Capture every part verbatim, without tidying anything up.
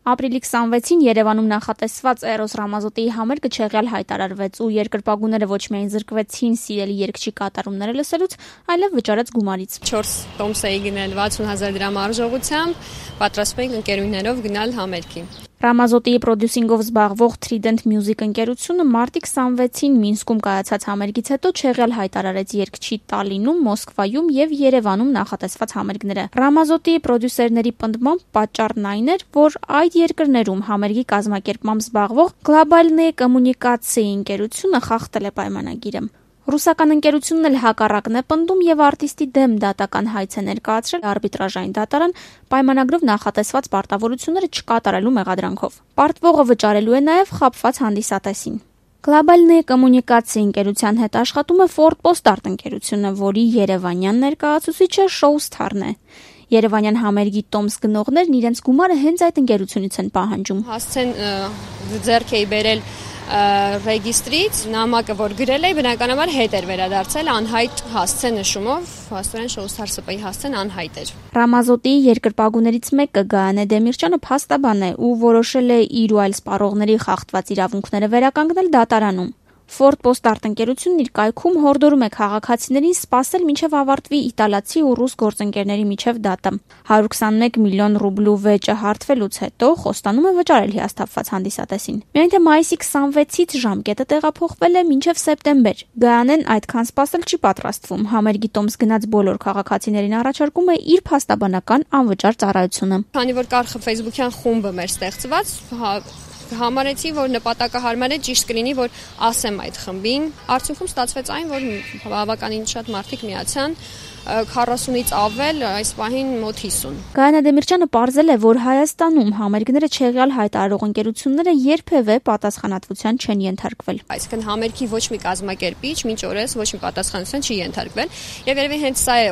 Ապրիլի քսանվեցին Երևանում նախատեսված Էրոս Ռամազոտիի համերգը չեղյալ հայտարարվեց ու երկրպագուները ոչ միայն զրկվեցին սիրելի երգչի կատարումները լսելուց, այլև վճարեց գումարից։ չորս տոմս էի գնել վաթսուն հազար դրամ արժողությամբ, պատրաստվում ենք ընկերուներով գնալ համերգի։ Ռամազոտիի պրոդյուսինգով զբաղվող Trident Music ընկերությունը մարտի քսանվեցին Մինսկում կայացած համերգից հետո չեղյալ հայտարարեց երգչի Տալինում, Մոսկվայում եւ Երևանում նախատեսված համերգները։ Ռամազոտիի պրոդյուսերների պնդմամբ պատճառն այն էր, որ այդ երկրներում համերգի կազմակերպմամբ զբաղվող Global Communication ընկերությունը խախտել է պայմանագիրը։ Ռուսական ընկերությունն էլ հակառակն է պնդում եւ արտիստի դեմ դատական հայց է ներկայացրել արբիտրաժային դատարան պայմանագրով նախատեսված պարտավորությունները չկատարելու մեղադրանքով։ Պարտվողը վճարելու է նաեւ խաբված հանդիսատեսին։ Global Communication ընկերության հետ աշխատում է Ford Postart ընկերությունը, որի երևանյան ներկայացուցիչը Showstar-ն է։ Երևանյան համերգի տոմս գնողներն իրենց գումարը հենց այդ ընկերությունից են պահանջում։ Հասցեն ձեռք էի բերել ռեգիստրից, նամակը որ գրել էի, բնականաբար հետ էր վերադարձել անհայտ հասցե նշումով, հաստորեն Showstar ՍՊ-ի հասցեն անհայտ էր։ Ռամազոտիի երկրպագուներից մեկը Գայանե Դեմիրճյանը փաստաբան է ու որոշել է իր ու այլ սպառողների խախտված իրավունքները վերականգնել դատարանում։ Ford Postart ընկերությունն իր կայքում հորդորում է քաղաքացիներին սպասել մինչև ավարտվի իտալացի ու ռուս գործընկերների միջև դատը։ հարյուր քսանմեկ միլիոն ռուբլու վեճը հարթվելուց հետո խոստանում է վճարել հիասթափված հանդիսատեսին։ Միայն թե մայիսի քսանվեցից ժամկետը տեղափոխվել է մինչև սեպտեմբեր։ Գայանեն այդքան սպասել չի պատրաստվում։ Համերգի տոմս գնած բոլոր քաղաքացիներին առաջարկում է իր փաստաբանական անվճար ծառայությունը։ Քանի որ կար Facebook-յան խումբը մեր ստեղծված, համարեցի, որ նպատակահարմար է ճիշտ կլինի, որ ասեմ այդ խմբին։ Արդյունքում ստացվեց այն, որ բավականին շատ մարդիկ միացան, քառասունից ավել, այս պահին մոտ հիսուն։ Գայանե Դեմիրճյանը պարզել է, որ Հայաստանում համերգները չեղյալ հայտարարող ընկերությունները երբևէ պատասխանատվության չեն ենթարկվել։ Այսինքն համերգի ոչ մի կազմակերպիչ մինչ օրս ոչ մի պատասխանատվության չի ենթարկվել, եւ երևի հենց սա է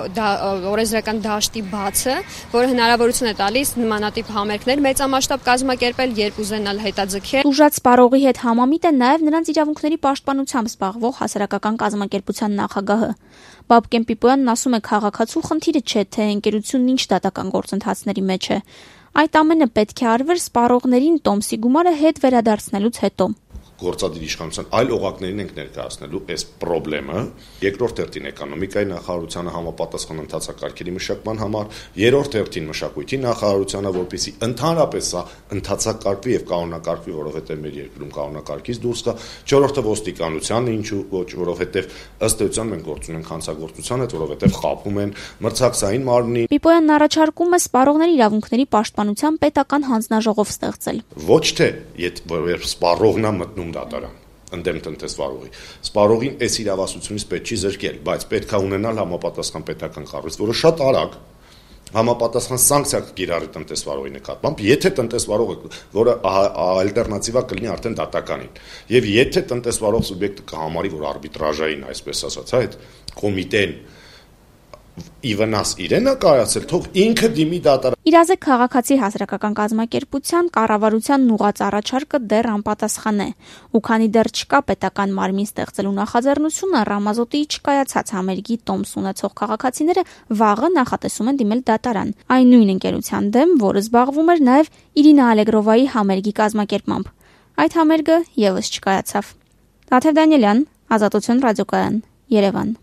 օրենսդրական դաշտի բացը, որը հնարավորություն է տալիս նմանատիպ համերգներ մեծամասշտաբ կազմակերպել, երբ ուզենալ հետաձգել։ Ուժած սպառողի հետ համամիտ է նաեւ նրանց իրավունքների պաշտպանությամբ զբաղվող հասարակական կազմակերպության նախագահը։ Բաբկեն Պիպոյանն ասում է, քաղաքացու խնդիրը չէ, թե ընկերությունն ինչ դատական գործընթացների մեջ է։ Այդ ամենը պետք է արվեր սպառողներին տոմսի գումարը հետ վերադարձնելուց հետո։ Գործադիր իշխանության այլ օղակներին ենք ներկայացնելու այս խնդրը, երկրորդ հերթին էկոնոմիկայի նախարարությանը համապատասխան ընթացակարգերի մշակման համար, երրորդ հերթին մշակույթի նախարարությանը, որպեսզի ընդհանրապես սա ընթացակարգվի եւ կանոնակարգվի, որովհետեւ մեր երկրում կանոնակարգից դուրս կա, չորրորդը ոստիկանությանը, ինչու ոչ, որովհետեւ ըստ էության մենք գործում ենք հանցագործության հետ, որովհետեւ խաբում են մրցակցային մարմնի։ Պիպոյանն առաջարկում է սպառողների իրավունքների պաշտպանության պետական հանձնաժողով ստեղծել։ Ոչ թե եթե սպառողն է մտնում դատարան ընդդեմ տնտեսվարողի։ Սպառողին այս իրավասությունից պետք չի զրկել, բայց պետք է ունենալ համապատասխան պետական կառույց, որը շատ արագ համապատասխան սանկցիա կիրառի տնտեսվարողի նկատմամբ, եթե տնտեսվարողը, որը ալտերնատիվա կլինի արդեն դատականին, եւ եթե տնտեսվարող սուբյեկտը կհամարի, որ արբիտրաժային, այսպես ասած, այդ կոմիտեն իվնաս իրեն է կայացել, թող ինքը դիմի դատարան։ Իրազեկ քաղաքացի հասարակական կազմակերպության կառավարության ուղղած առաջարկը դեռ անպատասխան է, ու քանի դեռ չկա պետական մարմին ստեղծելու նախաձեռնությունը, Ռամազոտիի չկայացած համերգի տոմս ունեցող քաղաքացիները վաղը նախատեսում են դիմել դատարան, այն նույն ընկերության դեմ, որը զբաղվում էր նաև Իրինա Ալեգրովայի համերգի կազմակերպմամբ։ Այդ համերգը եւս չկայացավ։ Տաթև Դանիելյան, Ազատություն ռադիոկայան, Երևան։